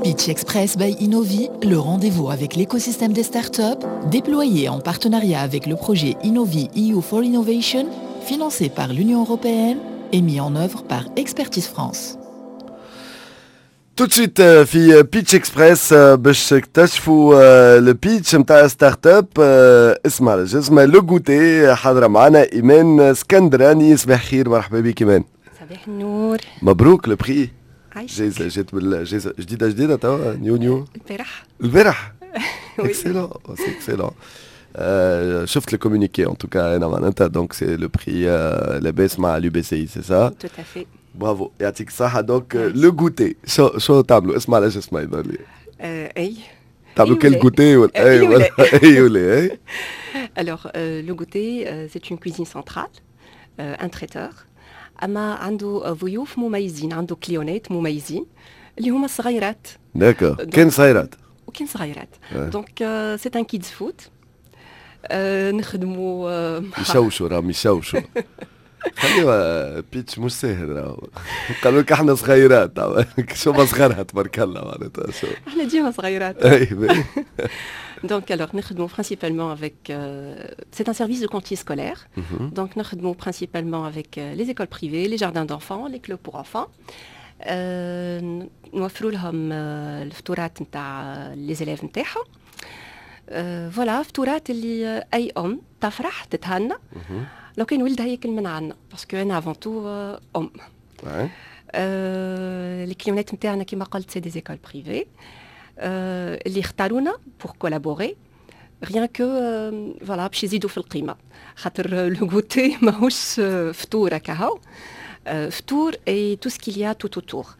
Pitch Express by Innovi, le rendez-vous avec l'écosystème des startups, déployé en partenariat avec le projet Innovi EU for Innovation, financé par l'Union européenne et mis en œuvre par Expertise France. Tout de suite في Pitch Express باش تكتشفوا le pitch نتاع startup اسمها اسمها Le Goûter. حاضره معنا ايمان اسكندراني. صباح خير، مرحبا بك ايمان. صباح النور. مبروك le prix. جايزة جات بالجائزة جديدة جديدة توا، new new. البارح. البارح، excellent، c'est excellent. شفت le communiqué en tout cas انا معناتها، donc c'est le prix لاباس مع l'UBCI، c'est ça؟ Tout à fait. برافو، يعطيك الصحة. donc Le Goûter، شو تعملوا؟ اسمع علاش اسمع يظهر لي. اي. تعملوا كل goûter ولا اي ولا اي ولا اي؟ Alors, le goûter, c'est une cuisine centrale, un traiteur. اما عنده ضيوف مميزين، عنده client ات مميزين اللي هما الصغيرات. D'accord، كان صغيرات. وكان صغيرات، donc c'est un kids food. نخدموا يشوشوا، راهم يشوشوا. خليها pitch مش ساهل راهو. قالوا لك احنا صغيرات، شو ما صغرها تبارك الله معناتها شو. احنا ديما صغيرات. اي. Donc, alors, nous principalement avec. C'est un service de cantine scolaire. Donc, nous principalement avec les écoles privées, les jardins d'enfants, les clubs pour enfants. نوفروا لهم الفطورات نتاع les élèves نتاعهم. Voilà، فطورات اللي اي ام تفرح تتهنى لو كان ولدها ياكل من عندنا، parce que انا avant tout ام. Les client ات نتاعنا كيما قلت c'est des écoles privées اللي اختارونا pour collaborer، rien que voilà باش يزيدوا في القيمه، خاطر le goûter ماهوش فطور كهو، فطور et tout ce qu'il y a tout autour.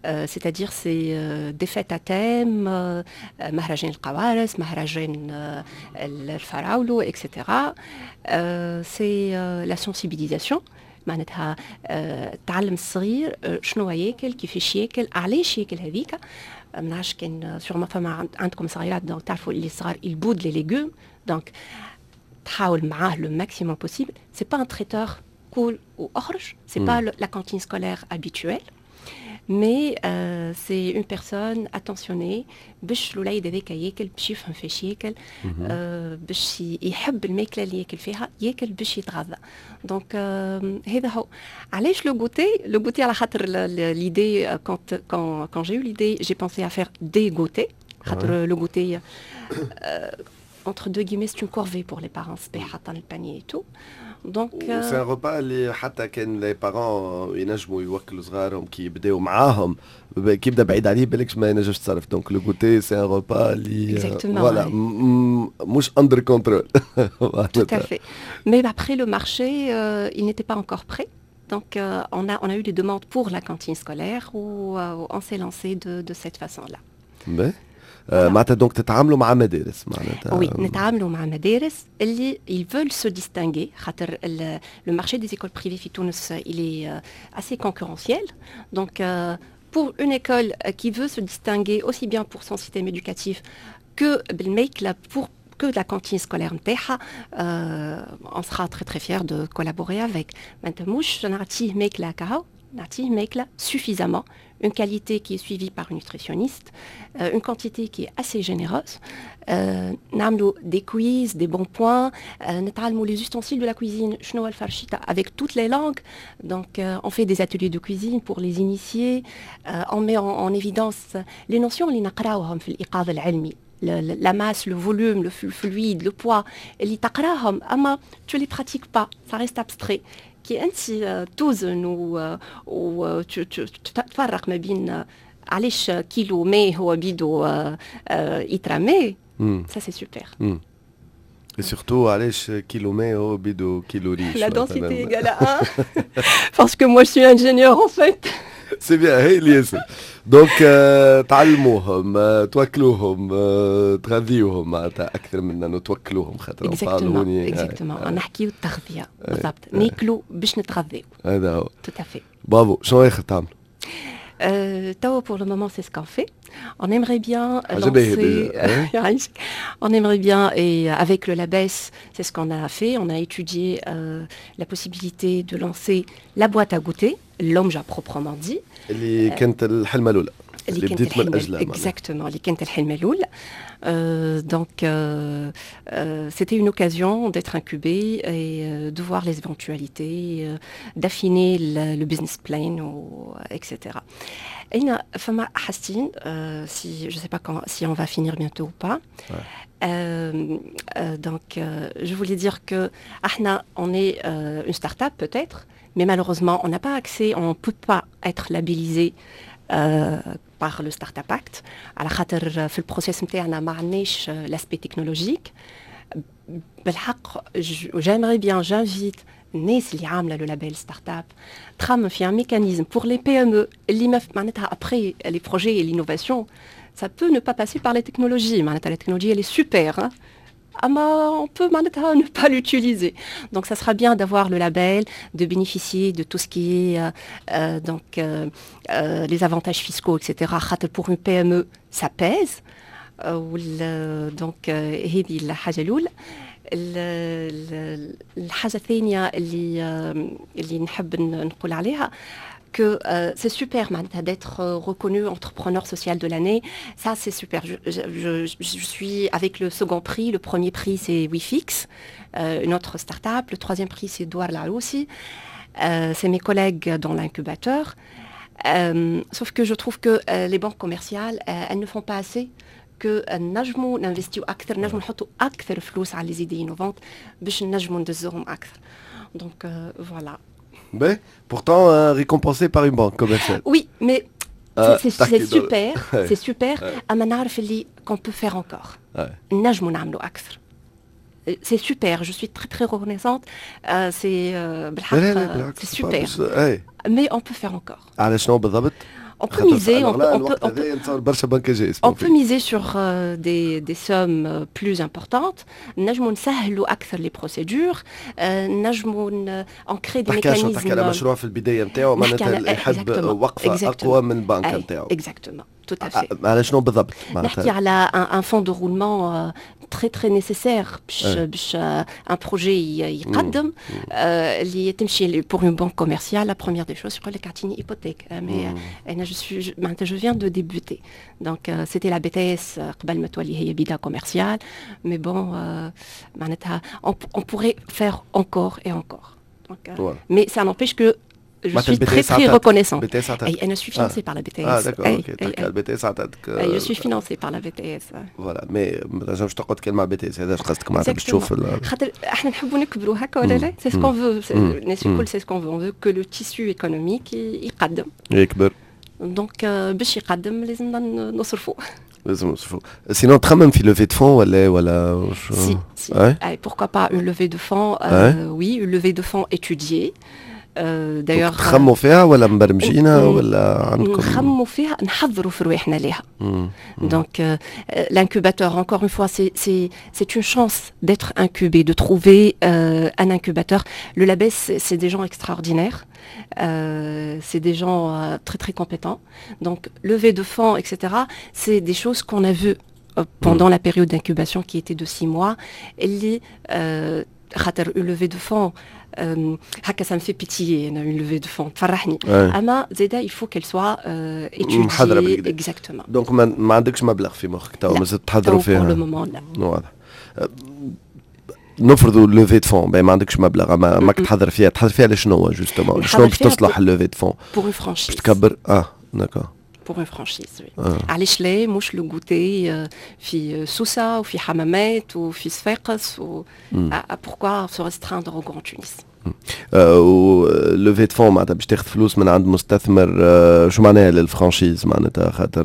C'est-à-dire c'est des fêtes à thème, مهرجان القوارص، مهرجان الفراولو، etc. C'est la sensibilisation، معناتها تعلم الصغير شنو ياكل، كيفاش ياكل، علاش ياكل هذيك. ما نعرفش كان sûrement فما عندكم صغيرات، donc تعرفوا اللي الصغار ils boudent les légumes، donc تحاول معاه le maximum possible. C'est pas un traiteur كول واخرج، c'est pas la cantine scolaire habituelle، mais c'est une personne attentionnée باش الوليد هذاك ياكل، باش يفهم فاش ياكل، باش يحب الماكلة اللي ياكل فيها، ياكل باش يتغذى. Donc هذا هو علاش Le Goûter. Le goûter على خاطر l'idée، quand j'ai eu l'idée، j'ai pensé à faire des goûters، خاطر le goûter entre deux guillemets c'est une corvée pour les parents، صباح حتى ال panier et tout. Donc c'est un repas اللي حتى كان les parents ينجموا يوكلوا صغارهم كي يبداو معاهم، كي يبدا بعيد عليه بالكش ما ينجمش تصرف. Donc le goûter c'est un repas اللي voilà مش under control. Tout à fait. Mais après le marché, il n'était pas encore prêt. Donc on a eu des demandes pour la cantine scolaire où on s'est lancé de cette façon-là. باهي. معناتها donc تتعاملوا مع مدارس معناتها؟ Oui، نتعاملوا مع مدارس اللي ils veulent se distinguer، خاطر le marché des écoles privées في تونس il est assez concurrentiel. Donc pour une école qui veut se distinguer aussi bien pour son système éducatif que بالماكلة pour que la cantine scolaire نتاعها، on sera très très fiers de collaborer avec. معناتها مش نعطيه ماكلة كهو، نعطيه ماكلة suffisamment، une qualité qui est suivie par une nutritionniste, une quantité qui est assez généreuse. نعملوا des quiz, des bons points, نتعلموا les ustensiles de la cuisine، شنو هو الفرشيطة avec toutes les langues. Donc on fait des ateliers de cuisine pour les initier, on met en évidence les notions اللي نقراوهم في الإيقاظ العلمي، la masse, le volume, le fluide, le poids، اللي تقراهم اما tu les pratiques pas، ça reste abstrait. كي انت توزن و تفرق ما بين علاش كيلو ماء هو بيدو إترا ماء، ça c'est super. Et surtout علاش كيلو ماء هو بيدو كيلو ريش. La densité égale à 1 parce que moi je suis ingénieur en fait. C'est bien، هي اللي ياسر. Donc تعلموهم، توكلوهم، تغذيوهم، معناتها اكثر من انه توكلوهم خاطر Exactement، exactement، نحكيو التغذية بالضبط، ناكلوا باش نتغذيو. هذا هو. Tout à fait. برافو، شنو اخر تعمل؟ توا pour le moment c'est ce qu'on fait. On aimerait bien lancer, on aimerait bien et avec le LABES, c'est ce qu'on a fait. On a étudié la possibilité de lancer la boîte à goûter, اللمجة proprement dit. اللي كانت الحلمة الأولى. اللي كانت بديت من اجلها. exactement، اللي كانت الحلم الاول. Donc, c'était une occasion d'être incubé et de voir les éventualités, d'affiner le business plan, ou, etc. أنا فما حاجتين si je sais pas quand, si on va finir bientôt ou pas. Ouais. Donc, je voulais dire que احنا, on est une start-up peut-être, mais malheureusement, on n'a pas accès, on ne peut pas être labellisé par le Startup Act. على خاطر في ال process نتاعنا ما عندناش l'aspect technologique. بالحق j'aimerais bien, j'invite الناس اللي عامله le label startup تخمم في un mécanisme pour les PME اللي ما معناتها après les projets et l'innovation, ça peut ne pas passer par les technologies. معناتها la technologie, elle est super, hein. أما on peut معناتها ne pas l'utiliser. Donc ça sera bien d'avoir le label, de bénéficier de tout ce qui est donc les avantages fiscaux, etc. خاطر pour une PME, ça pèse. Donc هذه الحاجة الأولى. الحاجة الثانية اللي نحب نقول عليها que c'est super معناتها d'être reconnu entrepreneur social de l'année. Ça, c'est super. Je suis avec le second prix. Le premier prix, c'est WeFix, une autre start-up. Le troisième prix, c'est Douar Laroussi. C'est mes collègues dans l'incubateur. Sauf que je trouve que les banques commerciales, elles ne font pas assez que نجموا ننفستيو اكثر، نجموا نحطوا اكثر فلوس على les idées innovantes باش نجموا ندزوهم اكثر. Donc voilà. Mais pourtant récompensé par une banque commerciale. Oui, mais c'est super, c'est super. اما نعرف اللي qu'on peut faire encore. نجموا نعملوا اكثر. C'est super, je suis très très reconnaissante. C'est بالحق c'est super. Mais on peut faire encore. على شنو بالضبط؟ On peut miser, on peut miser sur des sommes plus importantes. نجموا نسهلوا أكثر les procédures. نجموا on crée des mécanismes. تحكي على مشروع في البداية نتاعو، معناتها يحب وقفة أقوى من البنك نتاعو. Exactement. Tout à fait. على شنو بالضبط؟ نحكي على un fonds de roulement très très nécessaire باش un projet يقدم. اللي تمشي pour une banque commerciale, la première des choses يقول لك اعطيني hypothèque, mais انا je suis معناتها je viens de débuter. Donc c'était la BTS قبل ما تولي هي BIDA Commerciale, mais bon, معناتها on pourrait faire encore et encore. Donc, mais ça n'empêche que je suis très très reconnaissante. BTS. Et je suis financée par la BTS. Ah d'accord, ok. تحكي على BTS عطاتك. Je suis financée par la BTS. Voilà, mais ما تنجمش تقعد كان مع BTS، هذا قصدك معناتها باش تشوف. خاطر احنا نحبوا نكبروا هكا ولا لا؟ C'est ce qu'on veut. الناس الكل c'est ce qu'on veut. On veut que le tissu économique يقدم. يكبر. Donc باش يقدم لازمنا نصرفوا. لازم نصرفوا. Sinon تخمم في levée de fonds ولا؟ Si, si. Pourquoi pas une levée de fonds? Oui, une levée de fonds étudiée. D'ailleurs تخموا فيها ولا مبرمجينها ولا عندكم؟ نخموا فيها، نحضروا في رواحنا ليها. Donc l'incubateur, encore une fois, c'est une chance d'être incubé, de trouver un incubateur. Le Lab'ess, c'est des gens extraordinaires, c'est des gens très très compétents. Donc levée de fonds, etc., c'est des choses qu'on a vues pendant la période d'incubation qui était de 6 mois. اللي خاطر une levée de fonds هكا ça me fait pétiller, une levée de fonds تفرحني، اما زادا il faut qu'elle soit étudiée, exactement. Donc ما عندكش مبلغ في مخك تو، مازلت تحضروا فيها؟ Pour le moment, لا. واضح. نفرضوا levée de fonds، ما عندكش مبلغ، ما ماك تحضر فيها، تحضر فيها لشنو justement؟ شنو باش تصلح ال levée de fonds؟ Pour une franchise. باش تكبر، اه d'accord. Pour une franchise, oui. علاش لا مش le goûter في سوسة وفي حمامات وفي صفاقس و pourquoi se restreindre au Grand Tunis? و levée de fonds معناتها باش تاخذ فلوس من عند مستثمر، شو معناها لل franchise؟ معناتها خاطر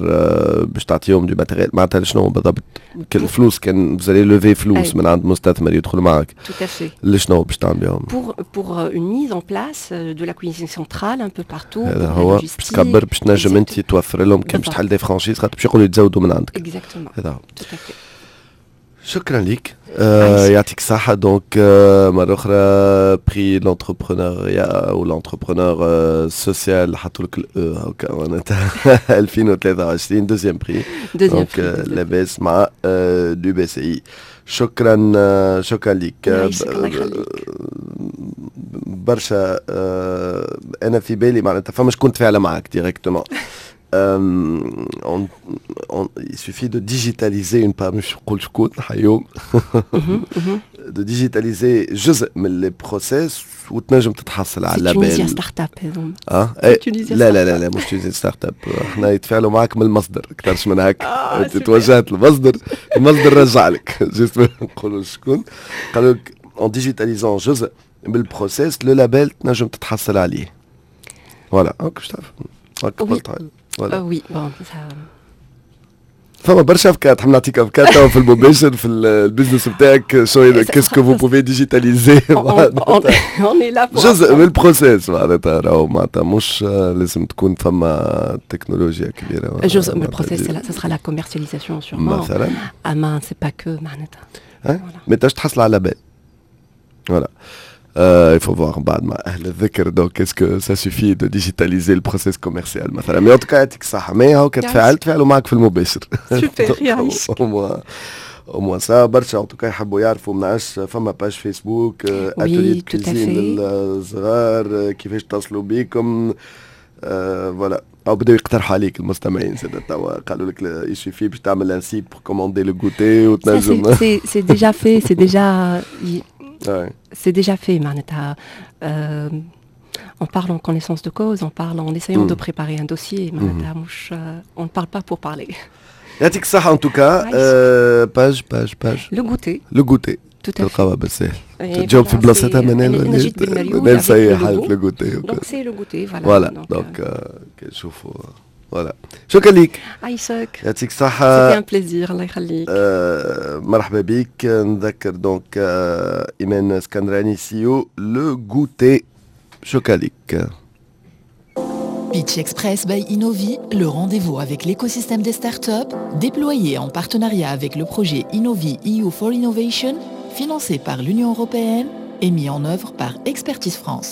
باش تعطيهم du matériel؟ معناتها شنو بالضبط الفلوس كان vous allez lever فلوس من عند مستثمر يدخل معك؟ Tout à fait. لشنو باش تعمل بهم؟ Pour une mise en place de la cuisine centrale un peu partout. هذا هو، باش تكبر، باش تنجم انت توفر لهم كان باش تحل des franchises، خاطر باش يقولوا يتزودوا من عندك. Exactement. هذا هو. Tout à fait. شكرا لك، يعطيك الصحة. Donc مرة أخرى prix l'entrepreneuriat ou l'entrepreneur social، حطوا لك ال E هكا معناتها، 2023, deuxième prix. Donc لاباس مع du BCI. شكرا، شكرا لك. الله يخليك. برشا. انا في بالي معناتها فما شكون تفاعل معك directement. il suffit de digitaliser une part، مش نقول شكون حيوم، de digitaliser جزء من les process وتنجم تتحصل على label. Tunisia Startup هذوما؟ اه إيه. لا لا لا لا، مش Tunisia Startup، احنا يتفاعلوا معك من المصدر اكثرش من هكا. انت توجهت المصدر، المصدر رجع لك، juste نقولوا شكون. قالوا لك en digitalisant جزء من ال process، le label تنجم تتحصل عليه. voilà، هاك باش تعرف. هاك قلت voilà. oui، bon. فما برشا افكار، تحب نعطيك افكار توا في المباشر في ال business بتاعك؟ شو qu'est-ce que vous pouvez digitaliser؟ جزء من ال process معناتها، راهو معناتها مش لازم تكون فما تكنولوجيا كبيره. جزء من ال process، ça sera la commercialisation sûrement. مثلا. اما c'est pas que معناتها. ما تحصل على label، voilà. Il faut voir بعد مع أهل الذكر، donc est-ce que ça suffit de digitaliser le process commercial مثلا؟ mais en tout cas يعطيك الصحة، mais هاو تفاعلت، تفاعلوا معك في المباشر. سوبر، يعيشك. au moins ça. برشا en tout cas يحبوا يعرفوا، ما نعرفش فما page Facebook، atelier cuisine للصغار، كيفاش تصلوا بيكم؟ voilà، او بداو يقترحوا عليك المستمعين زاد توا، قالوا لك il suffit باش تعمل un site pour commander le goûter وتنجم. c'est déjà fait، c'est déjà fait معناتها. On parle en connaissance de cause, on parle en essayant de préparer un dossier. معناتها مش on ne parle pas pour parler. يعطيك الصحة en tout cas. page page page؟ Le goûter. Le goûter. تلقاوها بالسهل، تجاوب في بلاصتها منال. انا جيت بالمريول. منال سي حالة le goûter. donc c'est le goûter، voilà. voilà، donc شوفوا، voilà، شكرا ليك. عايشك. يعطيك الصحة. c'était un plaisir، الله يخليك. مرحبا بك. نذكر donc ايمان اسكندراني، CEO Le Goûter، شكرا لك. Pitch Express by Innovi, le rendez-vous avec l'écosystème des startups, déployé en partenariat avec le projet Innovi EU for Innovation, financé par l'Union européenne et mis en œuvre par Expertise France.